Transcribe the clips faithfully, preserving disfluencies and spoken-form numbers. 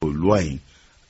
O loi in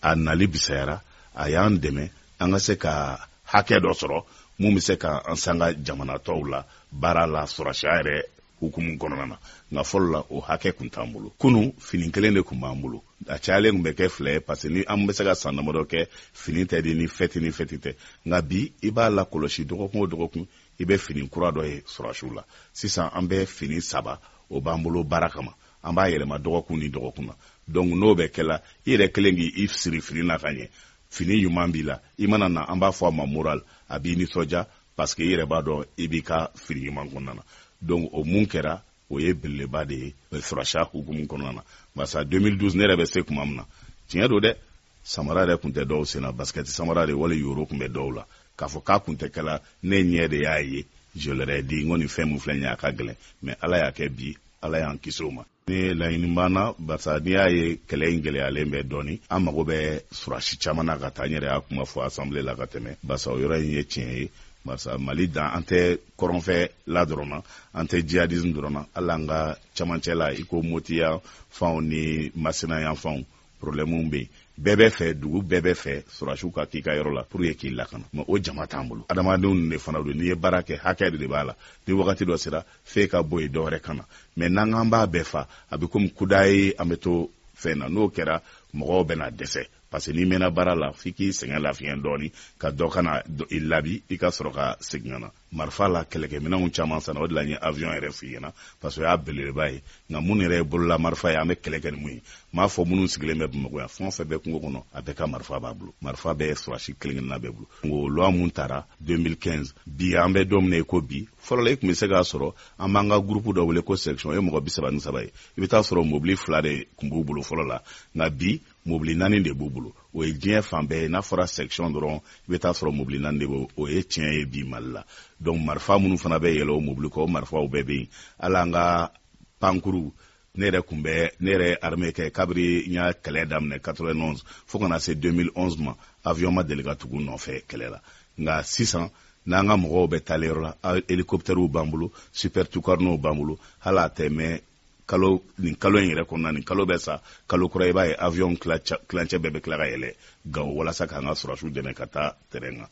a nali bisayara, a y'an dɛmɛ an ka se ka hakɛ dɔ sɔrɔ mun bɛ se ka an sanga jamana tɔw la baara la, sɔrɔsiya yɛrɛ hukumu kɔnɔna na. Nka fɔlɔ la, o hakɛ kun t'an bolo. Kunu, fini kelen de kun b'an bolo, a cayalen kun bɛ kɛ fila ye, parce que ni an bɛ se ka san damadɔ kɛ, fini tɛ di ni fɛti ni fɛti tɛ. Nka bi, i b'a la kɔlɔsi, dɔgɔkun o dɔgɔkun i bɛ fini kura dɔ ye sɔrɔsiw la. Sisan an bɛ fini saba o b'an bolo baara kama, an b'a yɛlɛma dɔgɔkun ni dɔgɔkun na. Donc n'o bɛ kɛla, i yɛrɛ kelen k'i siri fini na ka ɲɛ, fini ɲuman b'i la, i mana na, an b'a fɔ a ma moral, a b'i nisɔndiya, parce que i yɛrɛ b'a dɔn i b'i ka fini ɲuman kɔnɔna na. Donc o mun kɛra, o ye belebeleba de ye sɔrɔsiya hukumu kɔnɔna na. Barisa deux mille douze, ne yɛrɛ bɛ se tuma min na, tiɲɛ don dɛ, samara yɛrɛ tun tɛ dɔw sen na, basket samara de wali yoro tun bɛ dɔw la. K'a fɔ k'a kun tɛ kɛla, ne ɲɛ de y'a ye. Je leur ai dit, n ko nin fɛn mun filɛ nin ye, a ka gɛlɛn, mais Ala y'a kɛ bi, Ala y'an kisi o ma. Ni laɲini b'an na, barisa n'i y'a ye kɛlɛ in gɛlɛyalen bɛ dɔɔni, an mago bɛ surasi caman na ka taa. N yɛrɛ y'a kuma fɔ assemblée la ka tɛmɛ, barisa o yɔrɔ in ye tiɲɛ ye. Barisa Mali dan, an tɛ kɔrɔnfɛ la dɔrɔn na, an tɛ djihadisme dɔrɔn na, hali an ka camancɛ la, i ko Moti yan fanw ni Masina yan fanw, problème bɛ yen. Bɛɛ bɛ fɛ, dugu bɛɛ bɛ fɛ sɔrɔsiw ka k'i ka yɔrɔ la pour que k'i lakana, mais o jama t'an bolo. Adamadenw de fana don, n'i ye baara kɛ, hakɛ de b'a la. Ni wagati dɔ sera, f'e ka bɔ yen, dɔ wɛrɛ ka na. Mais n'an k'an b'a bɛɛ fa, a bɛ komi kuda ye, an bɛ to fɛn na. N'o kɛra, mɔgɔw bɛ na dɛsɛ, parce que n'i mɛnna baara la, f'i k'i sɛgɛn lafiɲɛ dɔɔni, ka dɔ kana i labi, i ka sɔrɔ ka segin ka na. Marifa la, kɛlɛkɛminɛnw caman sanna, o de la n ye avion yɛrɛ f'i ɲɛna, parce que o y'a belebeleba ye. Nka minnu yɛrɛ ye bolola marifa ye, an bɛ kɛlɛ kɛ ni mun ye? N m'a fɔ minnu sigilen bɛ Bamakɔ yan, fɛn o fɛn bɛ kungo kɔnɔ, a bɛɛ ka marifa b'a bolo, marifa bɛ sɔrɔsi kelen kelenna bɛɛ bolo. O loi mun tara deux mille quinze, bi an bɛ don min na i ko bi, fɔlɔ la, i tun bɛ se k'a sɔrɔ an b'an ka groupe dɔ wele ko section, o ye mɔgɔ bi saba ni saba ye, i bɛ taa sɔrɔ mobili fila de tun b'u bolo fɔlɔ la. Nka bi, mobili naani de b'u bolo. O ye diɲɛ fan bɛɛ ye, n'a fɔra section dɔrɔn, i bɛ taa sɔrɔ mobili naani de b'o. O ye tiɲɛ ye bi Mali la. Donc marifa minnu fana bɛ yɛlɛ o mobili kɔ, o marifaw bɛɛ bɛ yen. Hali an ka pankuru, ne yɛrɛ kun bɛ, ne yɛrɛ ye armée kɛ kabiri n y'a kɛlɛ daminɛ quatre-vingt-onze fo ka na se deux mille onze ma, avion ma deli ka tugu nɔfɛ kɛlɛ la. Nka sisan, n'an ka mɔgɔw bɛ taalen yɔrɔ la, hélicoptèrew b'an bolo, Super Tucanow b'an bolo. Hali a tɛ mɛn, kalo nin kalo in yɛrɛ kɔnɔna, nin kalo bɛ sa, kalo kura, i b'a ye avion kilancɛ bɛɛ bɛ tila ka yɛlɛ Gawo walasa k'an ka sɔrɔsiw dɛmɛ ka taa terrain kan.